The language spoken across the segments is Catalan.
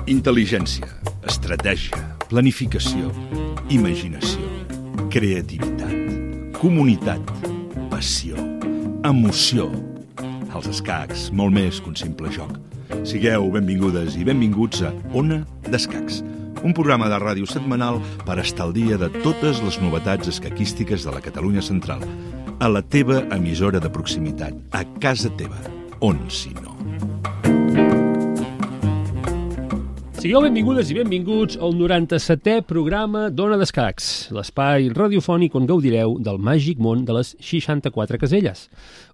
Intel·ligència, estratègia, planificació, imaginació, creativitat, comunitat, passió, emoció. Els escacs, molt més que un simple joc. Sigueu benvingudes i benvinguts a Ona d'Escacs, un programa de ràdio setmanal per estar al dia de totes les novetats escaquístiques de la Catalunya central, a la teva emissora de proximitat, a casa teva, on si no. Sigueu benvingudes i benvinguts al 97è programa d'Ona d'Escacs, l'espai radiofònic on gaudireu del màgic món de les 64 caselles.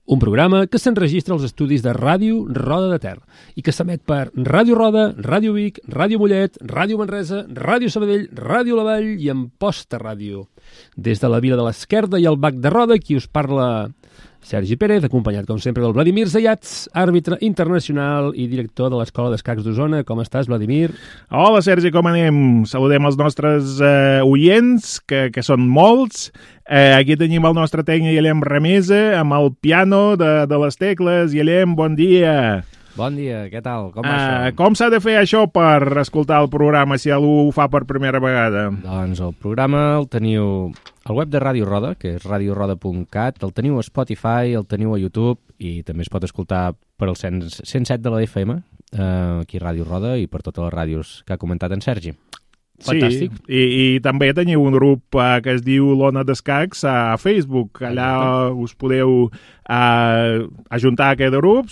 Un programa que s'enregistra als estudis de Ràdio Roda de Ter i que s'emet per Ràdio Roda, Ràdio Vic, Ràdio Mollet, Ràdio Manresa, Ràdio Sabadell, Ràdio La Vall i Amposta Ràdio. Des de la Vila de l'Esquerda i el Bac de Roda, qui us parla Sergi Pérez, acompanyat, com sempre, del Vladimir Zayats, àrbitre internacional i director de l'Escola d'Escacs d'Osona. Com estàs, Vladimir? Hola, Sergi, com anem? Saludem els nostres oients, que són molts. Aquí tenim el nostre tècnic Guillem Remesa, amb el piano de les tecles. Guillem, bon dia. Bon dia, què tal? Com va això? Com s'ha de fer això per escoltar el programa, si algú ho fa per primera vegada? Doncs el programa el teniu al web de Ràdio Roda, que és radioroda.cat, el teniu a Spotify, el teniu a YouTube i també es pot escoltar per el 107 de la FM, aquí a Ràdio Roda i per totes les ràdios que ha comentat en Sergi. Fantàstic. Sí, i també teniu un grup que es diu l'Ona d'Escacs a Facebook. Allà us podeu ajuntar a aquest grup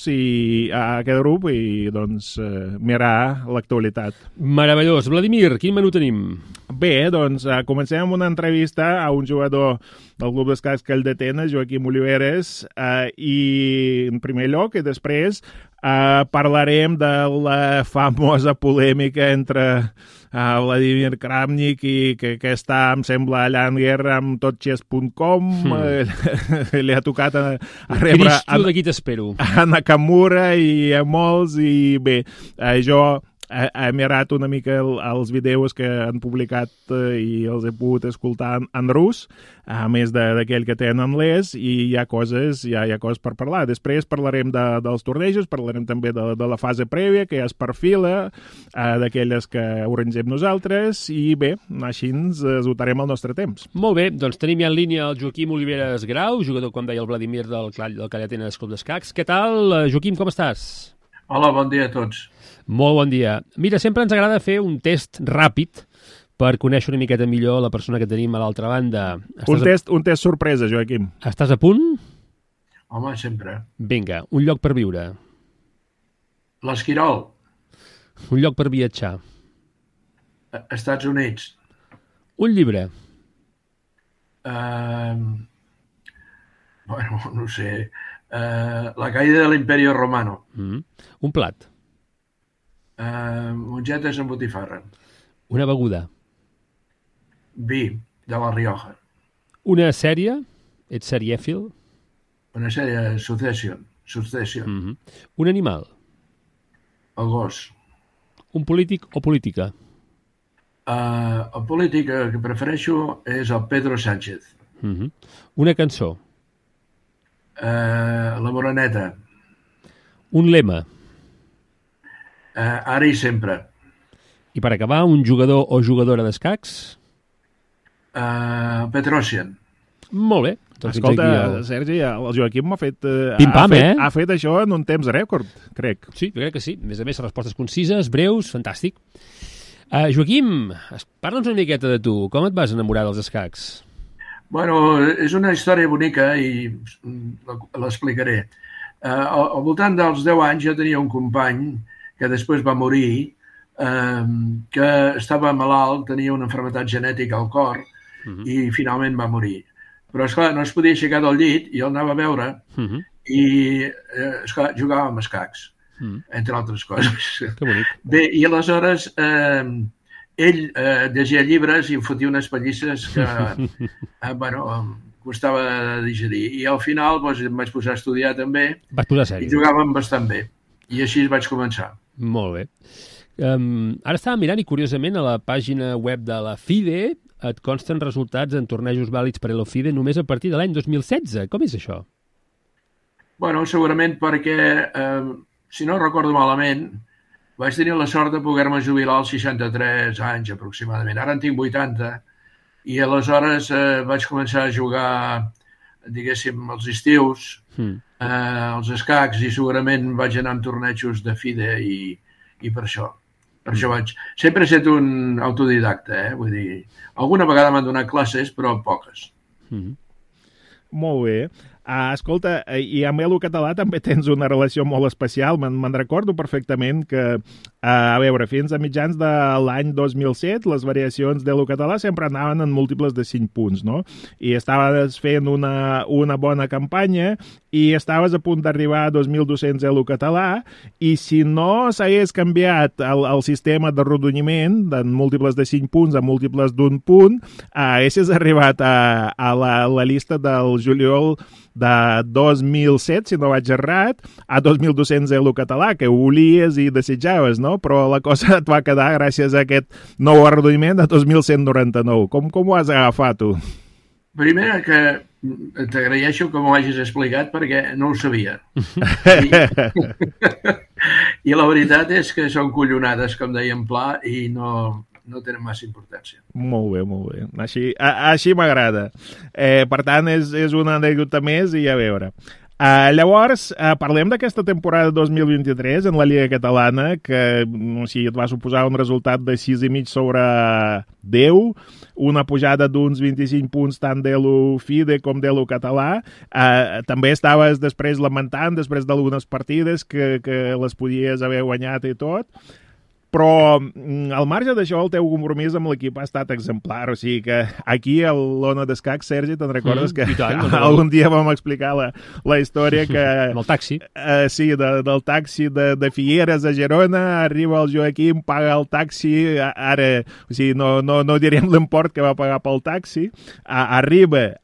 i doncs mirar l'actualitat. Meravellós. Vladimir, quin menú tenim? Bé, doncs comencem amb una entrevista a un jugador del Club d'Escacs que el detena, Joaquim Oliveres, i en primer lloc i després parlarem de la famosa polèmica entre Vladimir Kramnik i que està, em sembla, allà en guerra amb totxes.com. Li ha tocat a rebre Cristo, d'aquí t'espero. A Nakamura i a molts, i bé, jo he mirat una mica els vídeos que han publicat i els he pogut escoltar en rus, a més d'aquell que té en anglès, i hi ha coses per parlar. Després parlarem dels tornejos, parlarem també de la fase prèvia, que es perfila, d'aquelles que arrangem nosaltres, i bé, així ens esgotarem el nostre temps. Molt bé, doncs tenim ja en línia el Joaquim Oliveres Grau, jugador, com deia el Vladimir, del Callatenes Club d'Escacs. Què tal, Joaquim, com estàs? Hola, bon dia a tots. Molt bon dia. Mira, sempre ens agrada fer un test ràpid per conèixer una miqueta millor la persona que tenim a l'altra banda. Un test sorpresa, Joaquim. Estàs a punt? Home, sempre. Vinga, un lloc per viure. L'Esquirol. Un lloc per viatjar. Estats Units. Un llibre. Bueno, no sé. La caïda de l'Imperio Romano. Un plat. Mongetes amb botifarra. Una beguda. Vi, de la Rioja. Una sèrie. Ets serièfil? Una sèrie, Succession. Un animal. El gos. Un polític o política? El polític que prefereixo és el Pedro Sánchez. Una cançó. La Moreneta. Un lema. Ara i sempre. I per acabar, un jugador o jugadora d'escacs? Petrosian. Molt bé. Doncs escolta, Sergi, el Joaquim m'ha fet... Pim-pam, ha fet això en un temps rècord, crec. Sí, jo crec que sí. A més, respostes concises, breus, fantàstic. Joaquim, parla'ns una miqueta de tu. Com et vas enamorar dels escacs? Bueno, és una història bonica i l'explicaré. Al voltant dels 10 anys jo tenia un company que després va morir, que estava malalt, tenia una malaltia genètica al cor i finalment va morir. Però, esclar, no es podia aixecar del llit i el anava a veure i, esclar, jugava amb escacs, entre altres coses. Que bonic. Bé, i aleshores ell llegia llibres i em fotia unes pallisses que, bueno, costava digerir. I al final em vaig posar a estudiar també. Vas posar sèrio. I jugàvem bastant bé. I així vaig començar. Molt bé. Ara estava mirant i, curiosament, a la pàgina web de la FIDE et consten resultats en tornejos vàlids per a la FIDE només a partir de l'any 2016. Com és això? Bueno, segurament perquè, si no recordo malament, vaig tenir la sort de poder-me jubilar als 63 anys aproximadament. Ara en tinc 80 i aleshores vaig començar a jugar, diguéssim, els estius, els escacs, i segurament vaig anar amb tornejos de FIDE i per això. Per això sempre he estat un autodidacta, vull dir, alguna vegada m'han donat classes, però poques. Molt bé. Escolta, i amb Elo Català també tens una relació molt especial. Me'n recordo perfectament que, a veure, fins a mitjans de l'any 2007, les variacions d'Elo Català sempre anaven en múltiples de 5 punts, no? I estaves fent una bona campanya i estaves a punt d'arribar a 2.200 Elo Català, i si no s'hagués canviat el sistema de rodonyiment de múltiples de 5 punts a múltiples d'un punt, haguessis arribat a la llista del juliol de 2007, si no vaig errat, a 2.200 Elo Català, que ho volies i desitjaves, no? Però la cosa et va quedar gràcies a aquest nou arrodoniment de 2.199. Com ho has agafat, tu? Primer, que t'agraeixo que m'ho hagis explicat perquè no ho sabia. I la veritat és que són collonades, com deia en Pla, i no tenen massa importància. Molt bé, molt bé. Així m'agrada. Per tant, és una anècdota més i a veure. Llavors, parlem d'aquesta temporada 2023 en la Lliga Catalana, que et va suposar un resultat de 6,5 sobre 10, una pujada d'uns 25 punts tant d'Elo FIDE com d'Elo Català. També estaves després lamentant, després d'algunes partides, que les podies haver guanyat i tot. Però, al marge d'això, el teu compromís amb l'equip ha estat exemplar. O sigui que aquí, a l'Ona d'Escacs, Sergi, te'n recordes que algun dia vam explicar la història que... Amb el taxi. Sí, del taxi de Figueres a Girona, arriba el Joaquim, paga el taxi, ara, o sigui, no direm l'import que va pagar pel taxi, arriba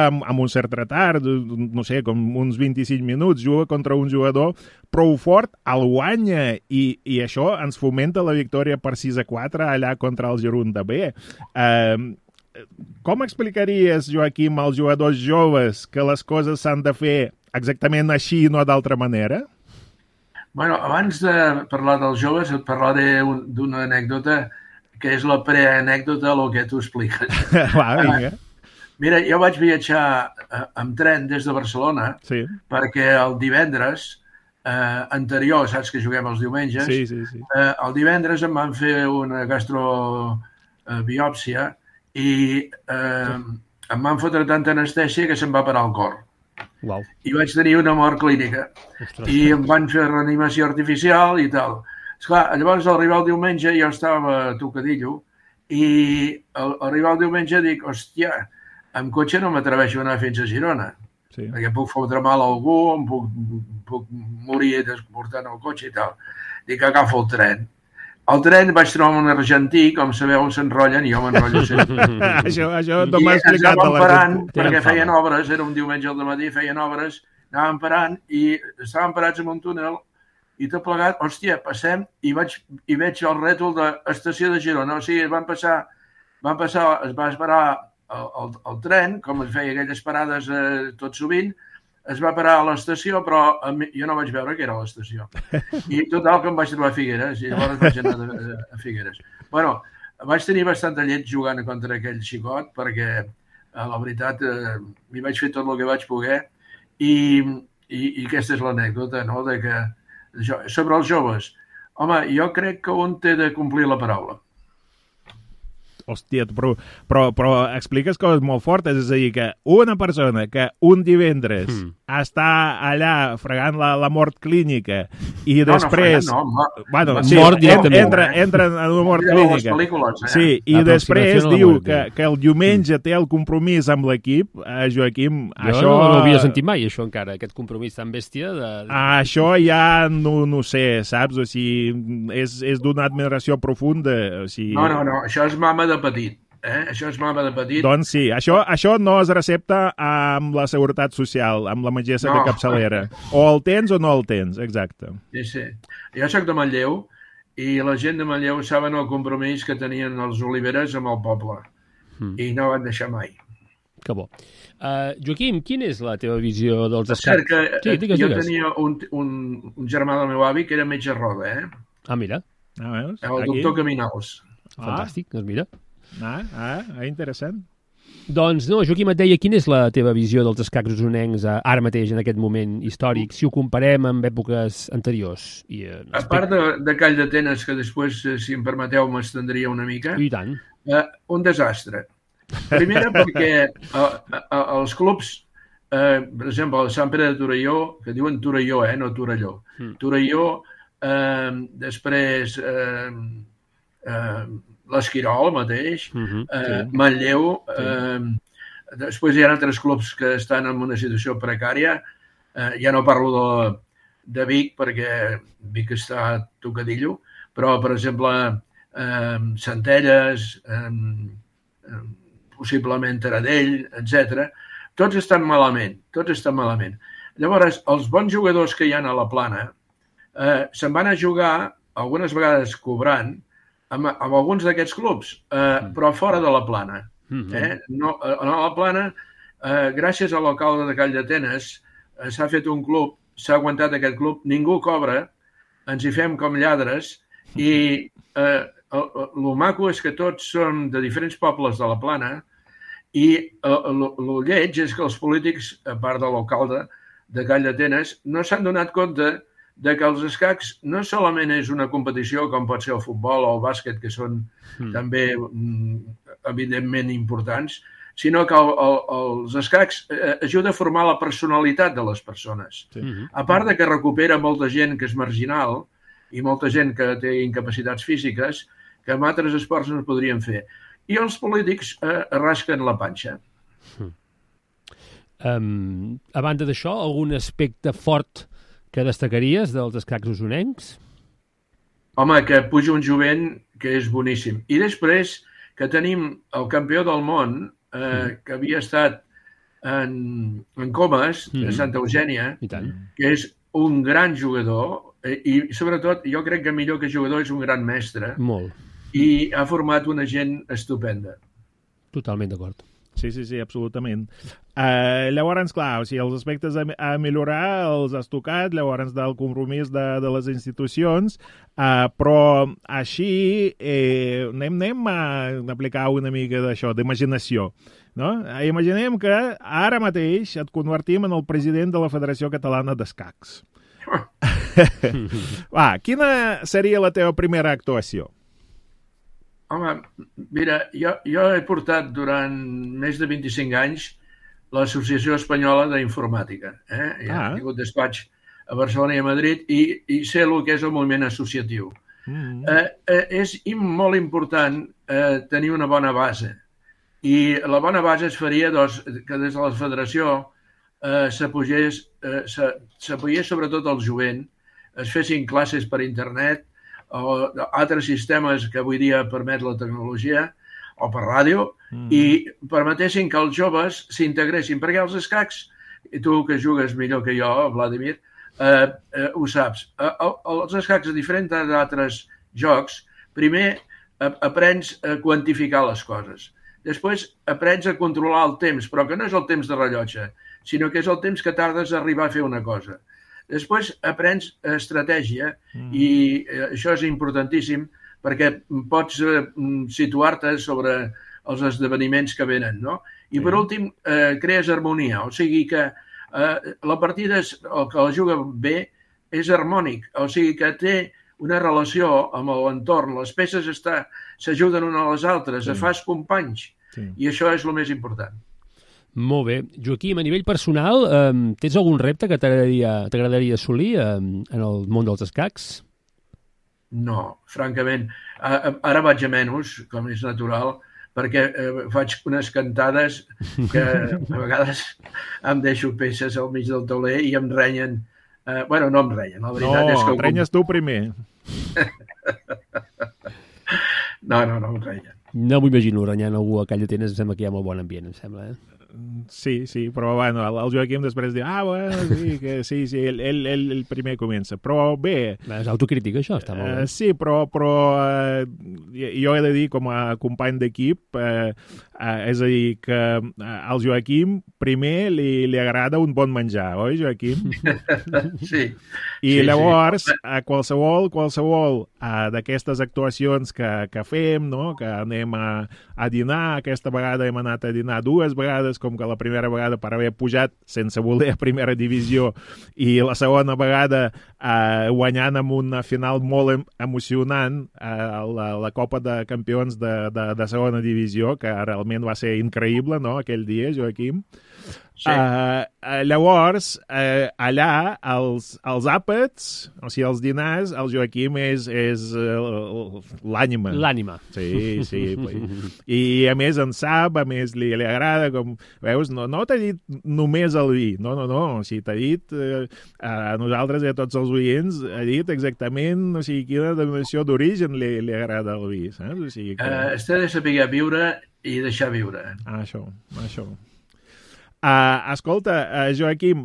amb un cert retard, no sé, com uns 25 minuts, juga contra un jugador prou fort, el guanya, i això ens fomenta la victòria per 6-4 allà contra el Girona B. Com explicaries, Joaquim, als jugadors joves que les coses s'han de fer exactament així i no d'altra manera? Bueno, abans de parlar dels joves, et parlaré d'una anècdota que és la preanècdota del que tu expliques. Va, vinga. Mira, jo vaig viatjar amb tren des de Barcelona perquè el divendres anterior, saps que juguem els diumenges, sí. El divendres em van fer una gastrobiòpsia i em van fotre tanta anestèsia que se'm va parar el cor. Wow. I vaig tenir una mort clínica. I em van fer reanimació artificial i tal. Esclar, llavors, al arribar el diumenge, jo estava tocadillo, i al arribar el diumenge dic, hòstia, amb cotxe no m'atreveixo a anar fins a Girona. Sí. Perquè puc fotre mal a algú, em puc morir portant el cotxe i tal. Dic, agafo el tren. Al tren vaig trobar un argentí, com sabeu, s'enrotllen i jo m'enrotllo sempre. Això no m'ha explicat. I anàvem parant, perquè feien obres, era un diumenge al dematí, feien obres, anàvem parant i estàvem parats en un túnel i tot plegat, hòstia, passem i veig el rètol d'estació de Girona. O sigui, es va esperar el tren, com es feia aquelles parades tot sovint, es va parar a l'estació, però jo no vaig veure que era a l'estació. I total que em vaig trobar a Figueres, i llavors vaig anar a Figueres. Bueno, vaig tenir bastanta llet jugant contra aquell xicot, perquè, la veritat, m'hi vaig fer tot el que vaig poder, i aquesta és l'anècdota, no?, de que, sobre els joves, home, jo crec que un té de complir la paraula. Hòstia, però expliques coses molt fortes, és a dir, que una persona que un divendres està allà fregant la mort clínica i després... Mort directament. Entra en una mort clínica. Sí, i després diu que el diumenge té el compromís amb l'equip, Joaquim, això... Jo no l'havia sentit mai, això encara, aquest compromís tan bèstia. Això ja no sé, saps? O sigui, és d'una admiració profunda. No, això és mama de petit. Això és mama de petit. Doncs sí, això no es recepta amb la Seguretat Social, amb la metgessa de capçalera. O el tens o no el tens, exacte. Sí. Jo soc de Manlleu i la gent de Manlleu saben el compromís que tenien els oliveres amb el poble. I no van deixar mai. Que bo. Joaquim, quina és la teva visió dels escacs? Jo tenia un germà del meu avi que era metge roda, Mira. Veus? El doctor Caminals. Fantàstic, doncs mira. Interessant. Doncs no, Joaquim, et deia, quina és la teva visió dels escacs usonencs ara mateix, en aquest moment històric, si ho comparem amb èpoques anteriors? A part de Call d'Atenes, que després, si em permeteu, m'estendria una mica, I tant. Un desastre. Primera perquè els clubs, per exemple, el Sant Pere de Torelló, que diuen Torelló, no Torelló. Torelló, després l'Esquirol mateix, Manlleu, després hi ha altres clubs que estan en una situació precària, ja no parlo de Vic, perquè Vic està tocadillo, però, per exemple, Centelles, possiblement Taradell, etc. Tots estan malament. Llavors, els bons jugadors que hi ha a la Plana se'n van a jugar, algunes vegades cobrant, amb alguns d'aquests clubs, però fora de la Plana. No, a la Plana, gràcies a l'alcalde de Call d'Atenes, s'ha fet un club, s'ha aguantat aquest club, ningú cobra, ens hi fem com lladres, i el maco és que tots són de diferents pobles de la Plana, i el lleig és que els polítics, a part de l'alcalde de Call d'Atenes, no s'han donat compte de que els escacs no solament és una competició com pot ser el futbol o el bàsquet, que són també evidentment importants, sinó que els escacs ajuda a formar la personalitat de les persones. A part de que recupera molta gent que és marginal i molta gent que té incapacitats físiques que amb altres esports no es podrien fer. I els polítics rasquen la panxa. A banda d'això, algun aspecte fort que destacaries dels escacs usonencs? Home, que puja un jovent que és boníssim. I després que tenim el campió del món, que havia estat en Comas, de Santa Eugènia, que és un gran jugador, i sobretot jo crec que millor que jugador és un gran mestre. Molt. I ha format una gent estupenda. Totalment d'acord. Sí, absolutament. Llavors, clar, els aspectes a millorar els has tocat, llavors del compromís de les institucions, però així anem a aplicar una mica d'això, d'imaginació. No? Imaginem que ara mateix et convertim en el president de la Federació Catalana d'Escacs. Quina seria la teva primera actuació? Home, mira, jo he portat durant més de 25 anys l'Associació Espanyola d'Informàtica. He tingut despatx a Barcelona i a Madrid i sé el que és el moviment associatiu. És molt important tenir una bona base. I la bona base es faria que des de la federació s'apoyés sobretot el jovent, es fessin classes per internet, o altres sistemes que avui dia permet la tecnologia, o per ràdio, i permetessin que els joves s'integressin, perquè els escacs, i tu que jugues millor que jo, Vladimir, ho saps. Els escacs, a diferent d'altres jocs, primer aprens a quantificar les coses. Després aprens a controlar el temps, però que no és el temps de rellotge, sinó que és el temps que tardes a arribar a fer una cosa. Després aprens estratègia i això és importantíssim perquè pots situar-te sobre els esdeveniments que venen, no? I per últim, crees harmonia, o sigui que la partida, el que la juga bé, és harmònic, o sigui que té una relació amb l'entorn, les peces s'ajuden una a les altres, fas companys, i això és el més important. Molt bé. Joaquim, a nivell personal, tens algun repte que t'agradaria assolir en el món dels escacs? No, francament. Ara vaig a menys, com és natural, perquè faig unes cantades que a vegades em deixo peces al mig del tauler i em renyen. Bueno, no em renyen, la veritat és que... No, renyes tu primer. No em renyen. No m'ho imagino renyant algú a Call d'Atenes, em sembla que hi ha molt bon ambient, em sembla, Sí, però bueno, el Joaquim després diu, bueno, sí, ell primer comença. Però bé... És autocrítica, això, està molt bé. Sí, però jo he de dir, com a company d'equip, és a dir, que al Joaquim primer li agrada un bon menjar, oi, Joaquim? Sí. I llavors, qualsevol d'aquestes actuacions que fem, no? Que anem a dinar, aquesta vegada hem anat a dinar 2 vegades, com que la primera vegada per haver pujat sense voler a primera divisió i la segona vegada guanyant amb una final molt emocionant la Copa de Campions de segona divisió, que realment va ser increïble, no?, aquell dia, Joaquim. Sí. Llavors, allà, els àpats, o sigui, els dinars, el Joaquim és l'ànima. L'ànima. Sí. I a més en sap, a més li agrada, com veus, no t'ha dit només el vi, no, o sigui, t'ha dit a nosaltres i a tots els oients, ha dit exactament, o sigui, quina denominació d'origen li agrada el vi, saps? O sigui que... Està de saber viure i deixar viure. Això. Escolta, Joaquim,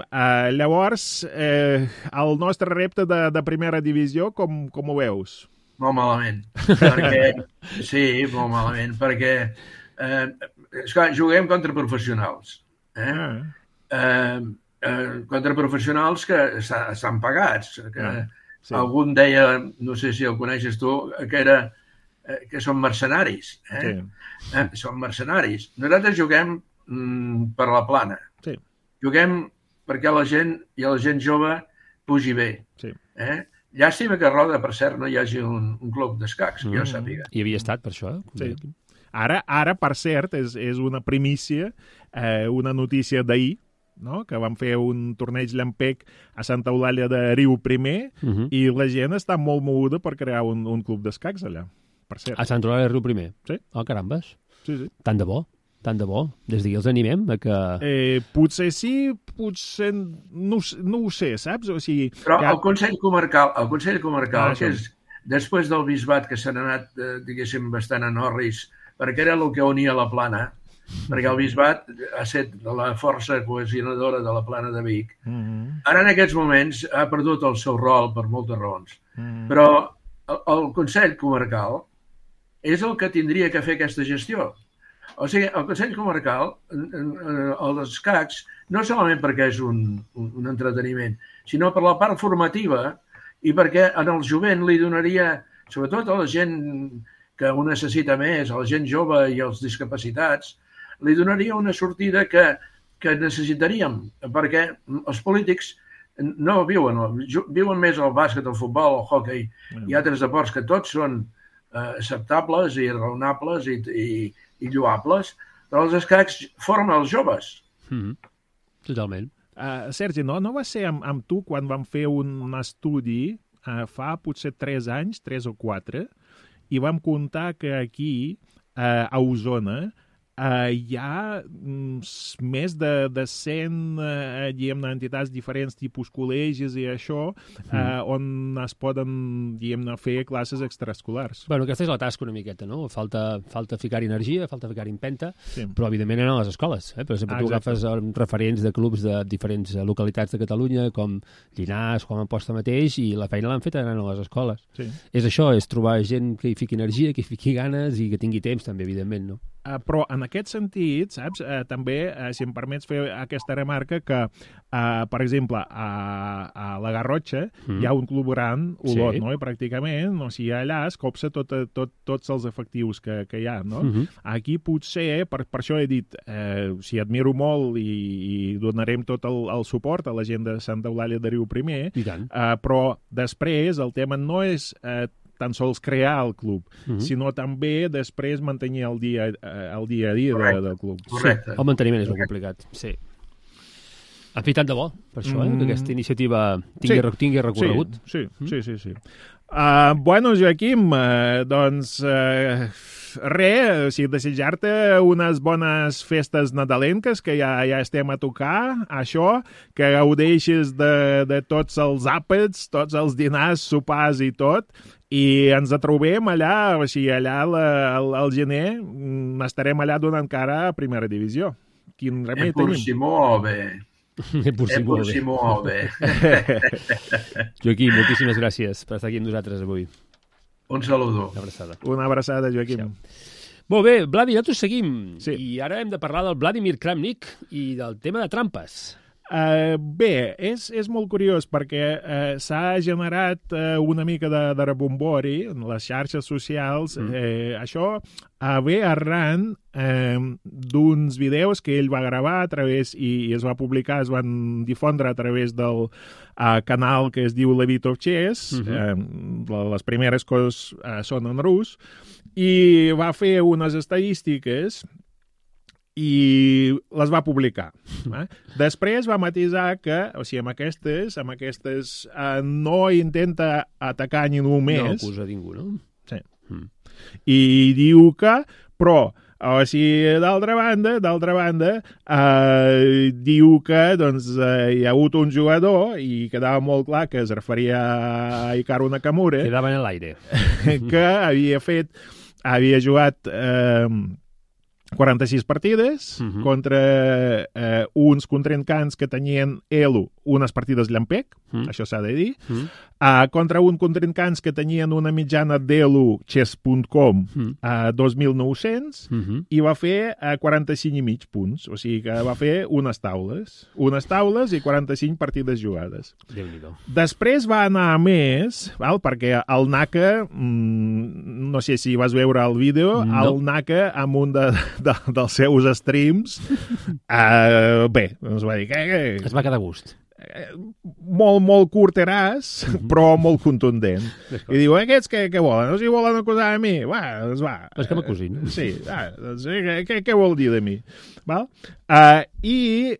llavors el nostre repte de primera divisió com ho veus? Molt malament. Sí, molt malament, perquè esclar, juguem contra professionals. Contra professionals que estan pagats. Sí. Algun deia, no sé si el coneixes tu, que són mercenaris. Sí. Són mercenaris. Nosaltres juguem per la plana. Sí. Juguem perquè la gent jove pugi bé. Sí. Llàstima que a Roda, per cert, no hi hagi un club d'escacs, que jo sàpiga. Hi havia estat, per això. Sí. Ara, per cert, és una primícia, una notícia d'ahir, no? Que van fer un torneig llampec a Santa Eulàlia de Riu Primer i la gent està molt moguda per crear un club d'escacs allà, per cert. A Santa Eulàlia de Riu Primer? Sí. Oh, carambes. Sí. Tant de bo. Des d'aquí els animem a que... Potser sí, potser no ho sé, saps? O sigui, però el Consell Comarcal, que és després del bisbat, que s'han anat, diguéssim, bastant en orris, perquè era el que unia la plana, perquè el bisbat ha estat la força cohesionadora de la plana de Vic. Ara, en aquests moments, ha perdut el seu rol per moltes raons. Però el Consell Comarcal és el que tindria que fer aquesta gestió. O sigui, el Consell Comarcal, els escacs, no solament perquè és un entreteniment, sinó per la part formativa i perquè en el jovent li donaria, sobretot a la gent que ho necessita més, a la gent jove i als discapacitats, li donaria una sortida que necessitaríem, perquè els polítics no viuen més el bàsquet, el futbol, el hoquei i altres esports que tots són acceptables i raonables i lloables, però els escacs formen els joves. Totalment. Sergi, no va ser amb tu quan vam fer un estudi fa potser 3 anys, 3 o 4, i vam comptar que aquí, a Osona, hi ha més de 100 diguem-ne, entitats diferents, tipus col·legis i això, on es poden, diguem-ne, fer classes extraescolars. Bueno, aquesta és la tasca una miqueta, no? Falta ficar-hi energia, falta ficar-hi empenta, però evidentment eren a les escoles. Per exemple, tu agafes referents de clubs de diferents localitats de Catalunya, com Llinars, com Amposta mateix, i la feina l'han fet anant a les escoles. Sí. És això, és trobar gent que hi fiqui energia, que hi fiqui ganes i que tingui temps, també, evidentment, no? Però en aquest sentit, saps, també, si em permets fer aquesta remarca, que, per exemple, a la Garrotxa hi ha un club gran, Olot, no? I pràcticament, o sigui, allà es copsa tots els efectius que hi ha, no? Aquí potser, per això he dit, si admiro molt i donarem tot el suport a la gent de Santa Eulàlia de Riu Primer, però després el tema no és tan sols crear el club, sinó també després mantenir el dia a dia del club. Correcte. Sí, el manteniment és molt complicat, sí. En fi, tant de bo, per això, que aquesta iniciativa tingui recorregut. Sí. Bueno, Joaquim, doncs res, o sigui, desitjar-te unes bones festes nadalenques, que ja estem a tocar, això, que gaudeixis de tots els àpats, tots els dinars, sopars i tot, i ens trobem allà, o sigui, allà al gener estarem allà donant cara a primera divisió. quin remei Pur tenim? si muove. Pur si muove. Joaquim, moltíssimes gràcies per estar aquí amb nosaltres avui. Un saludo. Una abraçada. Una abraçada, Joaquim. Molt bé, Vladi, nosaltres seguim. Sí. I ara hem de parlar del Vladimir Kramnik i del tema de trampes. Bé, és molt curiós perquè s'ha generat una mica de rebombori en les xarxes socials. Això ve arran d'uns vídeos que ell va gravar a través i es va publicar, es van difondre a través del canal que es diu Levitov Chess. Les primeres coses són en rus, i va fer unes estadístiques i les va publicar. Després va matisar que, o sigui, amb aquestes no intenta atacar ningú més. No acusa ningú, no? Sí. I diu que, però, o sigui, d'altra banda, diu que doncs, hi ha hagut un jugador, i quedava molt clar que es referia a Hikaru Nakamura, Quedava en l'aire. que havia jugat 46 partides contra uns contrincants que tenien elo unes partides llampec, això s'ha de dir, contra uns contrincants que tenien una mitjana d'elo chess.com a 2.900 i va fer 45,5 punts, o sigui que va fer unes taules i 45 partides jugades. Déu-n'hi-do. Després va anar a més, perquè el Naka, no sé si vas veure el vídeo, el Naka amb un dels seus streams, bé, ens va dir que... Es va quedar a gust. Molt curteràs, però molt contundent. I diu, aquests què volen? No si volen acusar a mi? Doncs va. És que m'acusin. Sí, doncs, què vol dir de mi? Val? I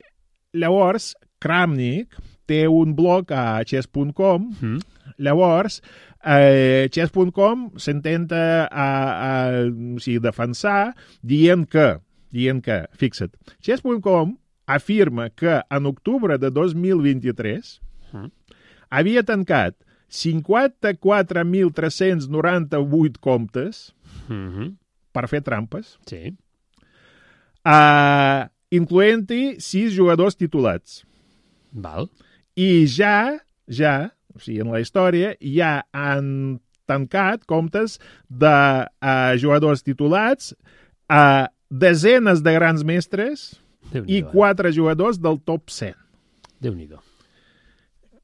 llavors Kramnik té un blog a chess.com. Llavors chess.com s'intenta defensar dient que, fixa't, chess.com afirma que en octubre de 2023 havia tancat 54.398 comptes per fer trampes, Sí. incloent-hi 6 jugadors titulats. Val. I ja, o sigui, en la història, ja han tancat comptes de jugadors titulats a desenes de grans mestres i 4 jugadors del top 100. Déu-n'hi-do.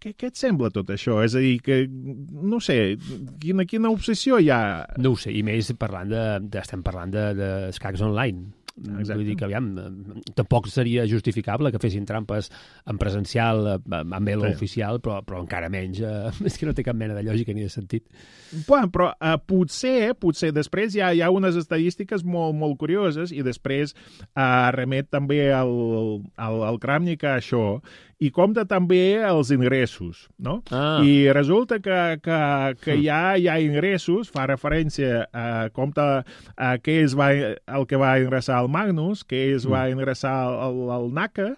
Què et sembla tot això? És a dir, que, no sé, quina obsessió hi ha? No ho sé, i més estem parlant d'escacs online. Exacte. Vull dir que, aviam, tampoc seria justificable que fessin trampes en presencial, amb elo oficial, però encara menys. És que no té cap mena de lògica ni de sentit. Però potser després hi ha unes estadístiques molt curioses, i després remet també al Kramnik a això, i compta també els ingressos, no? I resulta que ja hi ha ingressos, fa referència a compta que el que va ingressar el Magnus, que va ingressar el Naka,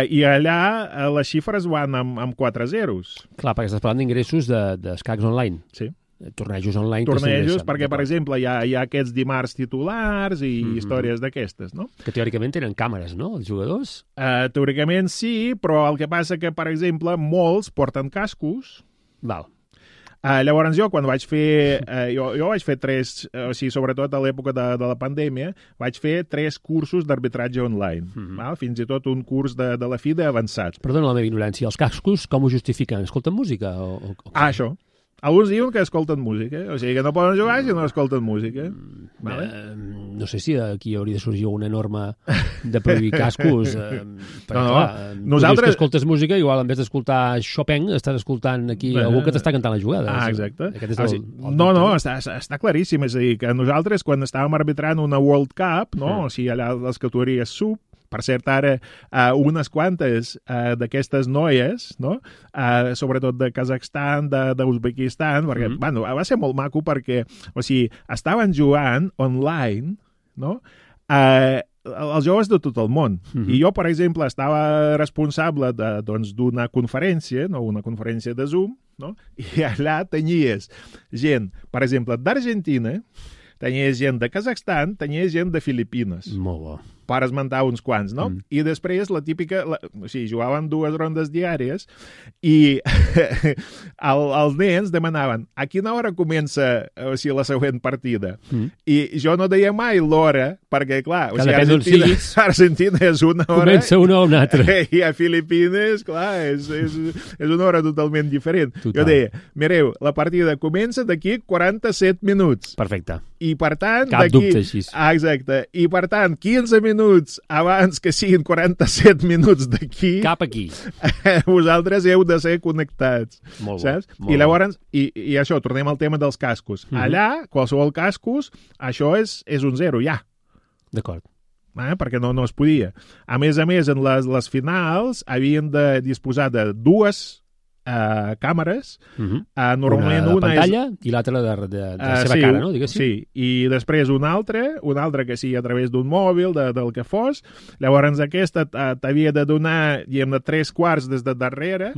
i allà les xifres van amb 4 zeros. Clar, perquè estàs parlant d'ingressos d'escacs online. Sí. Tornejos online. Tornejos, perquè, per exemple, hi ha aquests dimarts titulars i històries d'aquestes, no? Que teòricament tenen càmeres, no, els jugadors? Teòricament sí, però el que passa que, per exemple, molts porten cascos. Val. Llavors jo, quan vaig fer... jo vaig fer 3, o sigui, sobretot a l'època de la pandèmia, vaig fer 3 cursos d'arbitratge online. Fins i tot un curs de la FIDE avançat. Perdona la meva ignorància, els cascos com ho justifiquen? Escolten música? Això. Alguns diuen que escolten música, o sigui que no poden jugar si no escolten música. No sé si aquí hauria de sorgir una norma de prohibir cascos. Nosaltres... que escoltes música, igual en vez d'escoltar Chopin, estàs escoltant aquí algú que t'està cantant la jugada. Exacte. Està claríssim. És a dir, que nosaltres, quan estàvem arbitrant una World Cup, no? O sigui, allà les categories sub, per cert, ara unes quantes d'aquestes noies, no? Sobretot de Kazakhstan, d'Uzbekistan, perquè va ser molt maco perquè, o sigui, estaven jugant online, no? Els joves de tot el món. I jo, per exemple, estava responsable d'una conferència, no? Una conferència de Zoom, no? I allà tenies gent, per exemple, d'Argentina, tenies gent de Kazakhstan, tenies gent de Filipines. Molt bo. per esmentar uns quants, no? I després la típica... O sigui, jugaven 2 rondes diàries i els nens demanaven a quina hora comença la següent partida. I jo no deia mai l'hora, perquè, clar, Argentina és una hora... Comença una o una altra. I a Filipines, clar, és una hora totalment diferent. Jo deia, mireu, la partida comença d'aquí 47 minuts. Perfecte. I per tant... Cap dubte així. Exacte. I per tant, 15 minuts abans que siguin 47 minuts d'aquí... Cap aquí. Vosaltres heu de ser connectats. Molt saps? bo. I llavors, i això, tornem al tema dels cascos. Allà, qualsevol cascos, això és un 0, ja. D'acord. Perquè no es podia. A més, en les finals havien de disposar de 2 càmeres. Normalment una de pantalla i l'altra de la seva cara, no? Diguéssim. Sí, i després una altra que sigui a través d'un mòbil, del que fos. Llavors aquesta t'havia de donar, diguem, 3/4 des de darrere,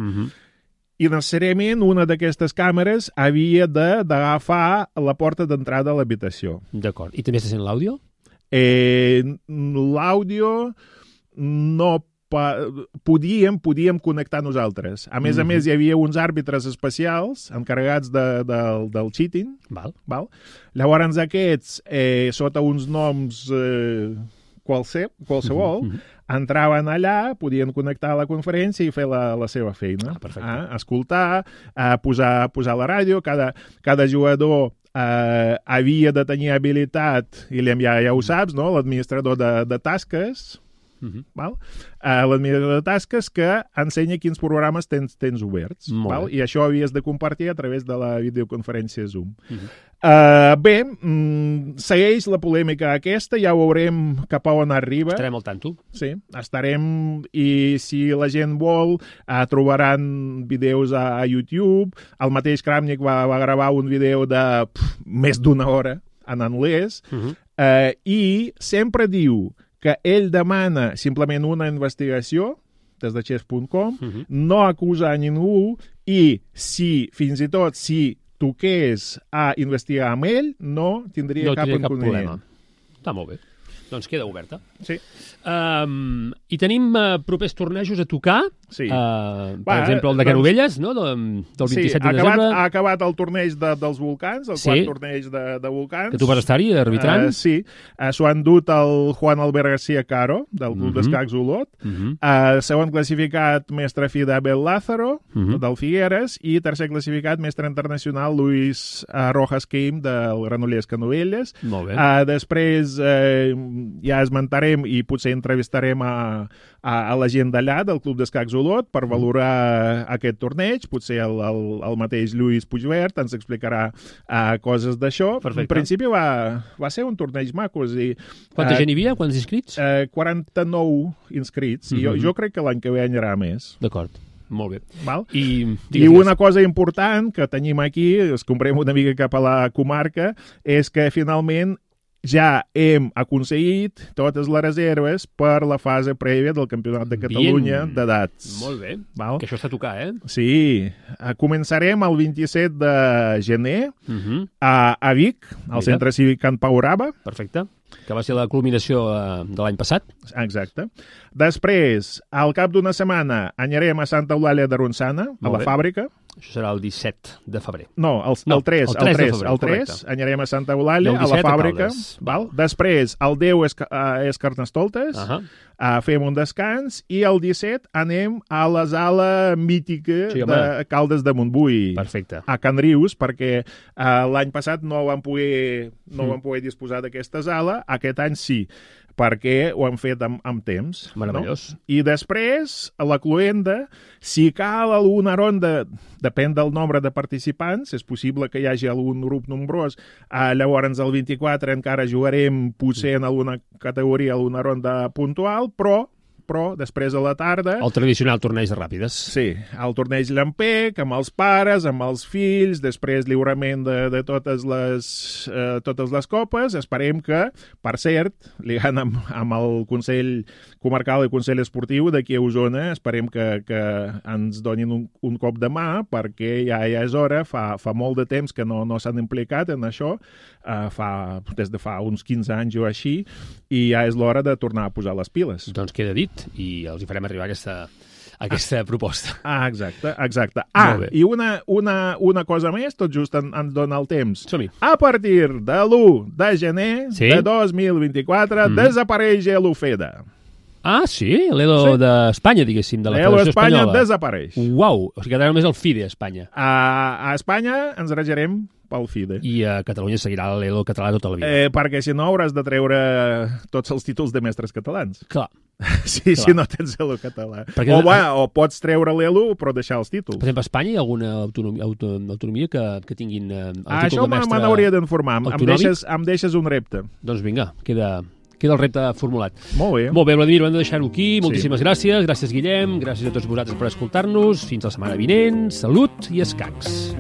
i necessàriament una d'aquestes càmeres havia d'agafar la porta d'entrada a l'habitació. D'acord. I també se sent l'àudio? L'àudio no podíem connectar nosaltres. A més, hi havia uns àrbitres especials encarregats del cheating. Val? Llavors aquests, sota uns noms qualsevol, entraven allà, podien connectar a la conferència i fer la seva feina. Escoltar, posar la ràdio, cada jugador havia de tenir habilitat, i ja ho saps, no? L'administrador de tasques, l'administrador de tasques que ensenya quins programes tens oberts. I això havies de compartir a través de la videoconferència Zoom. Bé, segueix la polèmica aquesta, ja veurem cap a on arriba. Estarem al tanto. Sí, estarem, i si la gent vol, trobaran vídeos a YouTube. El mateix Kramnik va gravar un vídeo de més d'1 hora en anglès, i sempre diu que ell demana simplement una investigació des de chess.com, no acusa a ningú, i fins i tot si toqués a investigar amb ell, no tindria cap inconvenient. Està molt bé. Doncs queda oberta. Sí. I tenim propers tornejos a tocar. Sí. Per exemple, el de Canovelles, no? Del 27 de desembre. Ha acabat el torneig dels volcans, el quart torneig de volcans. Que tu vas estar-hi arbitrant. Sí. S'ho han dut el Juan Albert García Caro, del Club d'Escacs Olot. Segon classificat, mestre fi d'Abel Lázaro, del Figueres, i tercer classificat, mestre internacional Luis Rojas Quim, del Granollers Canovelles. Molt bé. Després ja esmentarem i potser entrevistarem a la gent d'allà, del Club d'Escacs Olot, per valorar aquest torneig. Potser el mateix Lluís Puigvert ens explicarà coses d'això. En principi va ser un torneig maco. Quanta gent hi havia? Quants inscrits? 49 inscrits. I jo crec que l'any que ve hi haurà més. D'acord. Molt bé. I una cosa important que tenim aquí, es comprem una mica cap a la comarca, és que finalment ja hem aconseguit totes les reserves per la fase prèvia del Campionat de Catalunya d'edats. Molt bé. Que això està a tocar, Sí. Començarem el 27 de gener a Vic, al Centre Cívic Can Pau Raba. Perfecte. Que va ser la culminació de l'any passat. Exacte. Després, al cap d'una setmana, anirem a Santa Eulàlia de Ronçana, a la fàbrica. Això serà el 17 de febrer. No, el 3. El 3 anirem a Santa Eulàlia, a la fàbrica. Després, el 10 és Carnestoltes, fem un descans, i el 17 anem a la sala mítica de Caldes de Montbui. Perfecte. A Can Rius, perquè l'any passat no vam poder disposar d'aquesta sala, aquest any sí, perquè ho han fet amb temps. Meravellós. I després, a la cloenda, si cal alguna ronda, depèn del nombre de participants, és possible que hi hagi algun grup nombrós, llavors el 24 encara jugarem potser en alguna categoria, alguna ronda puntual, però però després a la tarda... El tradicional torneig de ràpides. Sí, el torneig Llampec, amb els pares, amb els fills, després lliurament de totes les copes. Esperem que, per cert, ligant amb el Consell Comarcal i Consell Esportiu d'aquí a Osona, esperem que ens donin un cop de mà, perquè ja és hora, fa molt de temps que no s'han implicat en això, des de fa uns 15 anys o així, i ja és l'hora de tornar a posar les piles. Doncs queda dit, i els hi farem arribar aquesta proposta. Exacte. I una cosa més, tot just ens dona el temps. Som-hi. A partir de l'1 de gener de 2024 desapareix l'UFEDA. Ah, sí? L'ELO d'Espanya, diguéssim, de la Federació Espanyola. L'ELO desapareix. Uau! O sigui, quedarà només el FIDE a Espanya. A Espanya ens regerem pel FIDE. I a Catalunya seguirà l'ELO català tota la vida. Perquè si no hauràs de treure tots els títols de mestres catalans. Clar. Sí, si no tens l'ELO català. Perquè o pots treure l'ELO però deixar els títols. Per exemple, a Espanya hi ha alguna autonomia que tinguin el títol això de mestre? me n'hauria d'informar. Em deixes un repte. Doncs vinga, queda el repte formulat. Molt bé. Molt bé, Vladimir, ho hem de deixar-ho aquí. Moltíssimes gràcies. Gràcies, Guillem. Gràcies a tots vosaltres per escoltar-nos. Fins la setmana vinent. Salut i escacs.